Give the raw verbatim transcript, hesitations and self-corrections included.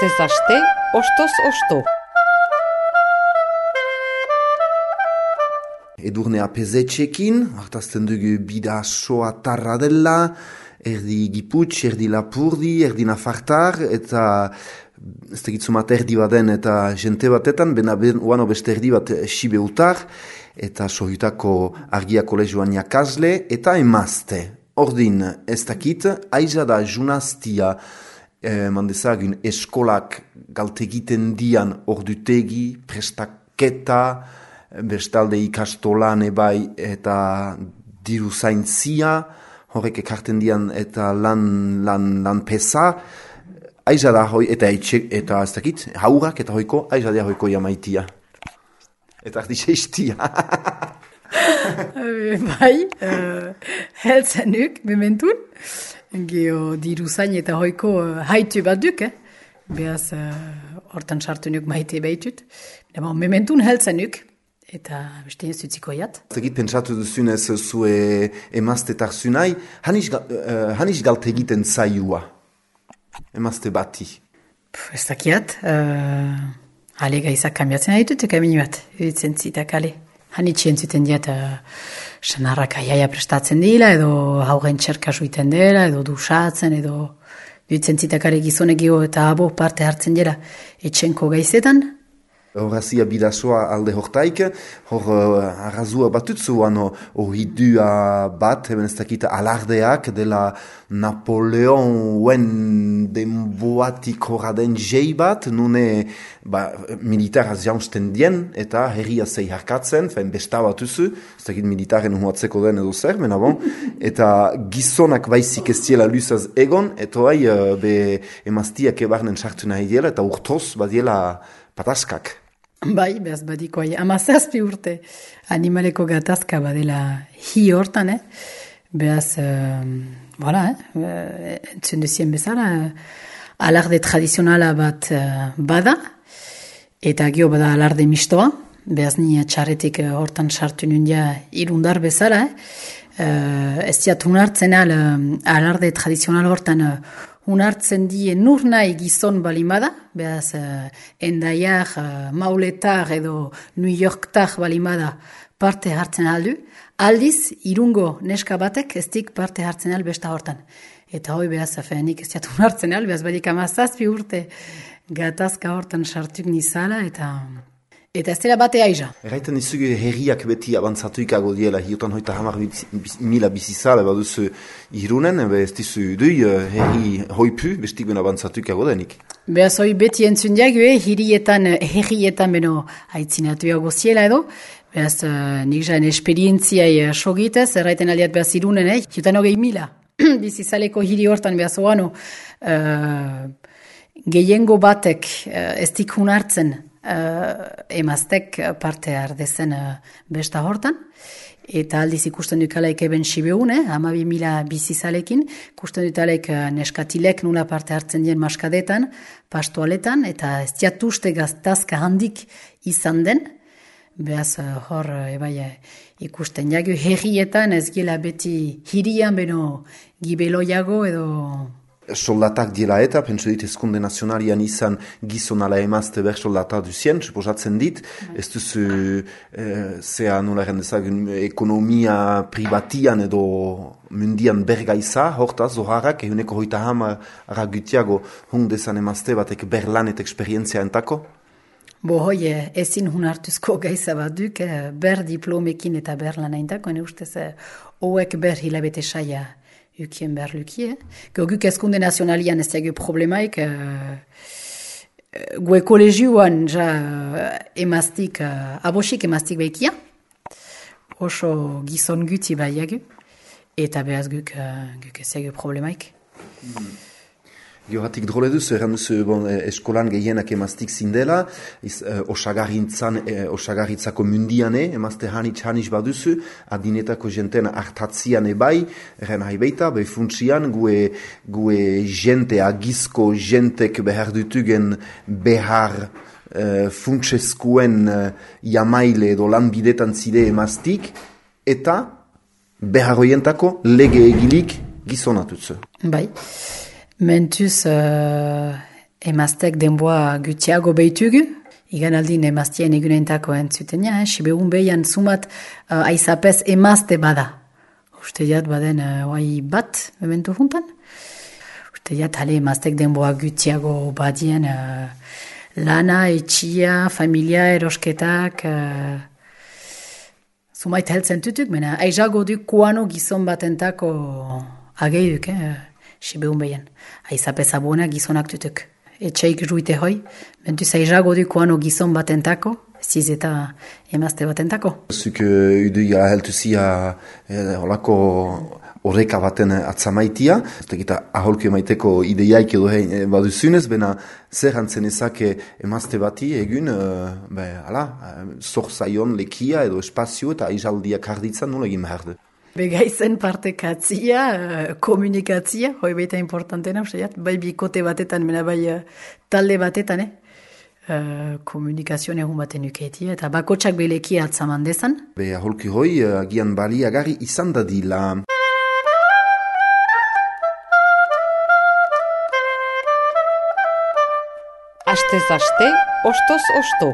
Astez aste, ostoz osto. Edurne apezetxekin, hartazten dugu bida soa tarra dela, erdi giputx, erdi lapurdi, erdi nafartar, eta ez tegitzumat erdi baden eta jente batetan, bena ben, uano beste erdi bat sibeutar, eta sohutako argia kolegioan jakazle, eta emazte. Ordin ez dakit, aiza da junaztia, eh, mandezagun eskolak galtegiten dian ordutegi, prestaketa, bestalde ikastolan ebai eta diru zaintzia, horrek ekarten dian eta lan, lan, lan pesa, aiza da hoi, eta etxe, eta ez dakit, haurak eta hoiko, aiza da hoiko jamaitia. Eta ardi seistia. Bai, uh, heltzenuk, mementun, geho diru zain eta hoiko uh, haitu bat duk, eh? Beaz, hortan uh, sartu nuk maite behitut. Mementun heltzenuk, eta beste ez utziko jat. Zegit pentsatu duzunez zue emaztetar zunai, hanis, uh, hanis galte egiten zaiua, emazte bati? Puh, ez dakiat, uh, ale gaizak kambiatzen haitut, kamini bat, editzen zitak ale. Hanitxien zuten diat, uh, sanarrak aiaia prestatzen dila, edo haugen txerka suiten dela, edo dusatzen, edo editzen zitak ale gizonegio eta abo parte hartzen dela etxenko gaizetan. Horazia bidasoa alde hortaik, hor uh, arrazua batutzuan horridua bat, eben ez dakita alardeak dela Napoleon uen denboatik horraden jei bat, nune ba, militaraz jaunsten dien, eta herria zei harkatzen, fein besta batuzu, ez dakit militaren huatzeko den edo zer, mena bon, eta gizonak baizik ez diela luzaz egon, eta bai uh, be emaztiak ebarnen sartu nahi diela, eta urtoz badiela pataskak. Bai, behaz badiko aia, amazazpi urte animaleko gatazka badela hi hortan, eh? Behaz, uh, voilà, eh? entzun duzien bezala, alarde tradizionala bat uh, bada, eta gio bada alarde mistoa, behaz ni txarretik uh, hortan sartu nundia irundar bezala, eh? Uh, ez diat unartzen al, uh, alarde tradizional hortan uh, unartzen die nur nahi gizon balimada, behaz, uh, endaiak, uh, mauletar edo New Yorktar balimada parte hartzen aldu, aldiz, irungo neska batek ez dik parte hartzen al besta hortan. Eta hoi behaz, afenik ez diat unartzen al, behaz badik amazazpi urte gatazka hortan sartuk nizala, eta... Eta ez dela bate aiza. Erraiten izugu herriak beti abantzatu ikago diela, hiotan hoita hamar mila bizizale baduzu irunen, ebe ez dizu dui herri hoipu, bestik ben abantzatu ikago denik. Beaz hoi beti entzun diagu, eh, hirietan, herrietan beno haitzinatu iago ziela edo, beaz uh, nik jaen esperientziai uh, sogitez, erraiten aldiat beaz irunen, eh, hiotan hogei mila bizizaleko hiri hortan beaz oano, uh, gehiengo batek uh, ez dik hunartzen, Uh, emaztek parte ardezen uh, besta hortan, eta aldiz ikusten dukalaik eben sibeun, eh, hamabi mila bizizalekin, ikusten dukalaik uh, neskatilek nula parte hartzen dien maskadetan, pastoaletan, eta ez diatuste gaztazka handik izan den, behaz uh, hor uh, ebai uh, ikusten jagu herrietan ez gila beti hirian beno gibeloiago edo... Soldatak diela eta, pentsu dit ezkunde nazionalian izan gizon ala emazte ber soldata duzien, suposatzen dit, ez duzu eh, zea nola rendezagun ekonomia privatian edo mundian bergaiza, hortaz, zoharrak, ehuneko hoita hamar aragutiago hundezan emazte batek ber lan eta eksperientzia entako? Bo hoi, ezin hun hartuzko gaiza bat duk, ber diplomekin eta ber lan eintako, ene ustez, hoek ber hilabete saia ukien behar lukie. Goguk ezkunde nazionalian ez diagio problemaik, uh, gue kolegioan ja uh, emaztik, uh, abosik emaztik behikia, oso gizon guti baiagu, eta behaz guk, uh, guk ez diagio problemaik. Mm. Georatik drole duzu, erran duzu bon, eskolan gehienak emaztik zindela, iz, eh, eh, osagaritzako mundiane, emazte hanitz hanitz baduzu, adinetako jenten hartatzian ebai, erren haibeita, behi funtsian, gue, gue jente, agizko jentek behar dutugen behar eh, funtseskuen eh, jamaile edo lan bidetan zide emaztik, eta behar hoientako lege egilik gizonatutzu. Bai. Mentuz, uh, emaztek denboa gutxiago behitugu, igan aldin emaztien eguneintako entzutenia, eh? Sibegun behian sumat uh, aizapez emazte bada. Uste jat baden uh, oai bat, mementu juntan. Uste jat hale emaztek denboa gutxiago badien uh, lana, etxia, familia, erosketak... Uh, Zumait heltzen tutuk, mena aizago du kuano gizon batentako ageiduk, eh, sibeun behien. Aizapez abuena gizonak tutuk. Etxeik ruite hoi, mentuz aizago du kuano gizon batentako, ziz eta emazte batentako. Zuk uduia heltuzia holako horreka baten atzamaitia, eta aholku emaiteko ideiaik edo hein baduzunez, bena zer hantzen ezake emazte bati egun, uh, be, ala, zor zaion lekia edo espazio eta aizaldiak harditzan nola egin behar du. Begaizen partekatzia, uh, komunikatzia, hoi baita importantena, bai bikote batetan, mena bai uh, talde batetan, eh? Uh, komunikazioan egun baten ukeetia, eta bakotsak belekia atzaman dezan. Be, aholku hoi, agian uh, baliagarri izan dadila. Astez aste, ostoz osto.